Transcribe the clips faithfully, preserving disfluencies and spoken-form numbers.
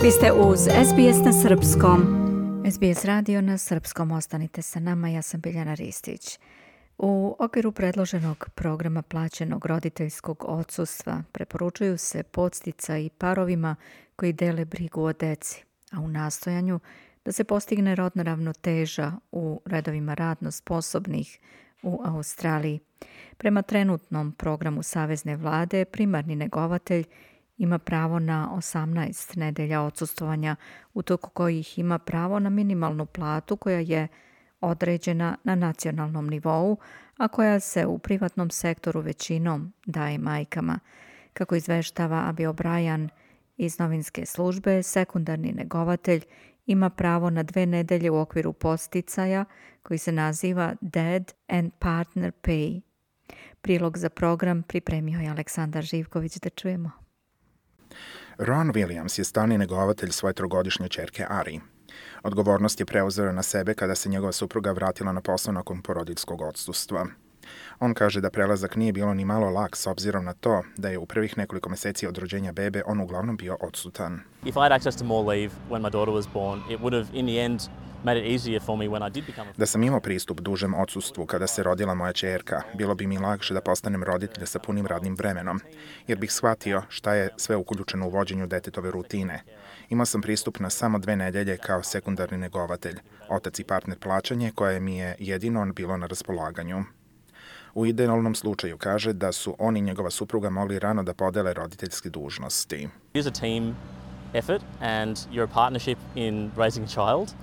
Vi ste uz S B S na srpskom. S B S radio na srpskom, ostanite sa nama, ja sam Biljana Ristić. U okviru predloženog programa plaćenog roditeljskog odsustva preporučuju se podsticaji parovima koji dele brigu o deci, a u nastojanju da se postigne rodna ravnoteža u redovima radno sposobnih u Australiji. Prema trenutnom programu Savezne vlade, primarni negovatelj ima pravo na osamnaest nedelja odsustvovanja, u toku kojih ima pravo na minimalnu platu koja je određena na nacionalnom nivou, a koja se u privatnom sektoru većinom daje majkama. Kako izveštava Abi O'Brien iz novinske službe, sekundarni negovatelj ima pravo na dve nedelje u okviru podsticaja koji se naziva Dad and Partner Pay. Prilog za program pripremio je Aleksandar Živković, da čujemo. Ron Williams je stalni negovatelj svoje trogodišnje ćerke Ari. Odgovornost je preuzeo na sebe kada se njegova supruga vratila na posao nakon porodiljskog odsustva. On kaže da prelazak nije bilo ni malo lak s obzirom na to da je u prvih nekoliko meseci od rođenja bebe on uglavnom bio odsutan. If I had access to more leave when my daughter was born, it would have in the end made it easier for me when I did become a... Da sam imao pristup dužem odsustvu kada se rodila moja ćerka, bilo bi mi lakše da postanem roditelj sa punim radnim vremenom, jer bih shvatio šta je sve uključeno u vođenju detetove rutine. Imao sam pristup na samo dve nedelje kao sekundarni negovatelj, otac i partner plaćanje koje mi je jedino bilo na raspolaganju. U idealnom slučaju kaže da su on i njegova supruga mogli rano da podele roditeljske dužnosti. It is a team effort and you're a partnership in raising a child.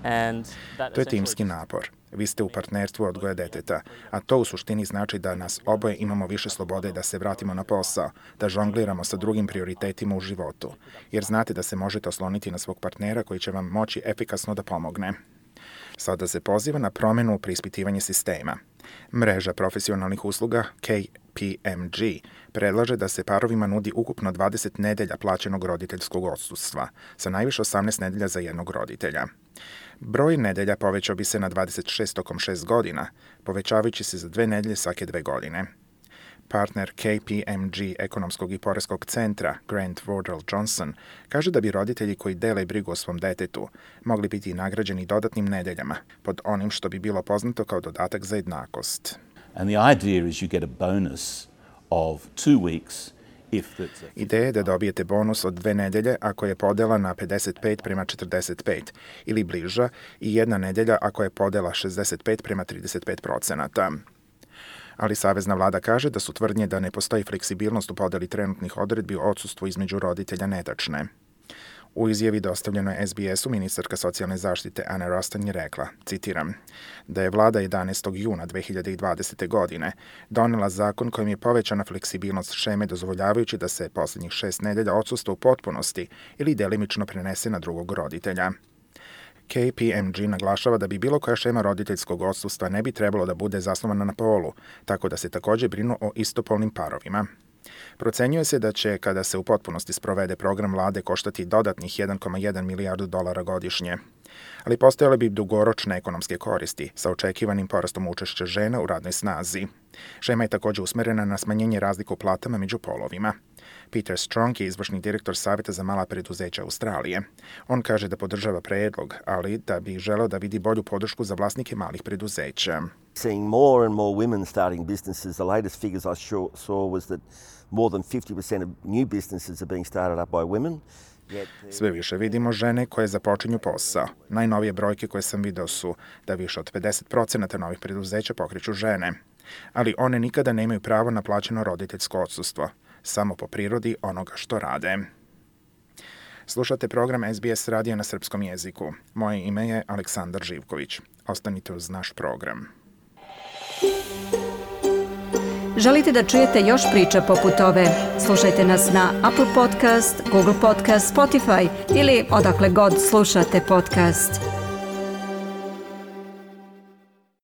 And that to je timski napor. Vi ste u partnerstvu odgoja deteta, a to u suštini znači da nas oboje imamo više slobode da se vratimo na posao, da žongliramo sa drugim prioritetima u životu, jer znate da se možete osloniti na svog partnera koji će vam moći efikasno da pomogne. Sada se poziva na promenu u preispitivanje sistema. Mreža profesionalnih usluga K P M G predlaže da se parovima nudi ukupno dvadeset nedelja plaćenog roditeljskog odsustva, sa najviše osamnaest nedelja za jednog roditelja. Broj nedelja povećao bi se na dvadeset šest tokom šest godina, povećavajući se za dve nedelje svake dve godine. Partner K P M G ekonomskog i poreskog centra Grant Wardell Johnson kaže da bi roditelji koji dele brigu o svom detetu mogli biti nagrađeni dodatnim nedeljama pod onim što bi bilo poznato kao dodatak za jednakost. And the idea is you get a bonus of two weeks if that's a... Ideja je da dobijete bonus od dve nedelje ako je podela na pedeset pet prema četrdeset pet ili bliža i jedna nedelja ako je podela šezdeset pet prema trideset pet procenata. Ali Savezna vlada kaže da su tvrdnje da ne postoji fleksibilnost u podeli trenutnih odredbi o odsustvu između roditelja netačne. U izjavi dostavljenoj S B S-u ministarka socijalne zaštite Anna Ruston je rekla, citiram, da je vlada jedanaestog juna dve hiljade dvadesete. godine donela zakon kojim je povećana fleksibilnost šeme dozvoljavajući da se posljednjih šest nedelja odsustva u potpunosti ili delimično prenese na drugog roditelja. K P M G naglašava da bi bilo koja šema roditeljskog odsustva ne bi trebalo da bude zasnovana na polu, tako da se također brinu o istopolnim parovima. Procenjuje se da će, kada se u potpunosti sprovede program vlade, koštati dodatnih jedan zarez jedan milijardu dolara godišnje. Ali postojale bi dugoročne ekonomske koristi sa očekivanim porastom učešća žena u radnoj snazi. Šema je također usmerena na smanjenje razlika u platama među polovima. Peter Strong je izvršni direktor Saveta za mala preduzeća Australije. On kaže da podržava predlog, ali da bi želeo da vidi bolju podršku za vlasnike malih preduzeća. Seeing more and more women starting businesses, the latest figures I saw was that more than fifty percent of new businesses are being started up by women. Sve više vidimo žene koje započinju posao. Najnovije brojke koje sam video su da više od pedeset procenata novih preduzeća pokreću žene. Ali one nikada nemaju pravo na plaćeno roditeljsko odsustvo, samo po prirodi onoga što rade. Slušate program S B S radija na srpskom jeziku. Moje ime je Aleksandar Živković. Ostanite uz naš program. Želite da čujete još priča poput ove? Slušajte nas na Apple Podcast, Google Podcast, Spotify ili odakle god slušate podcast.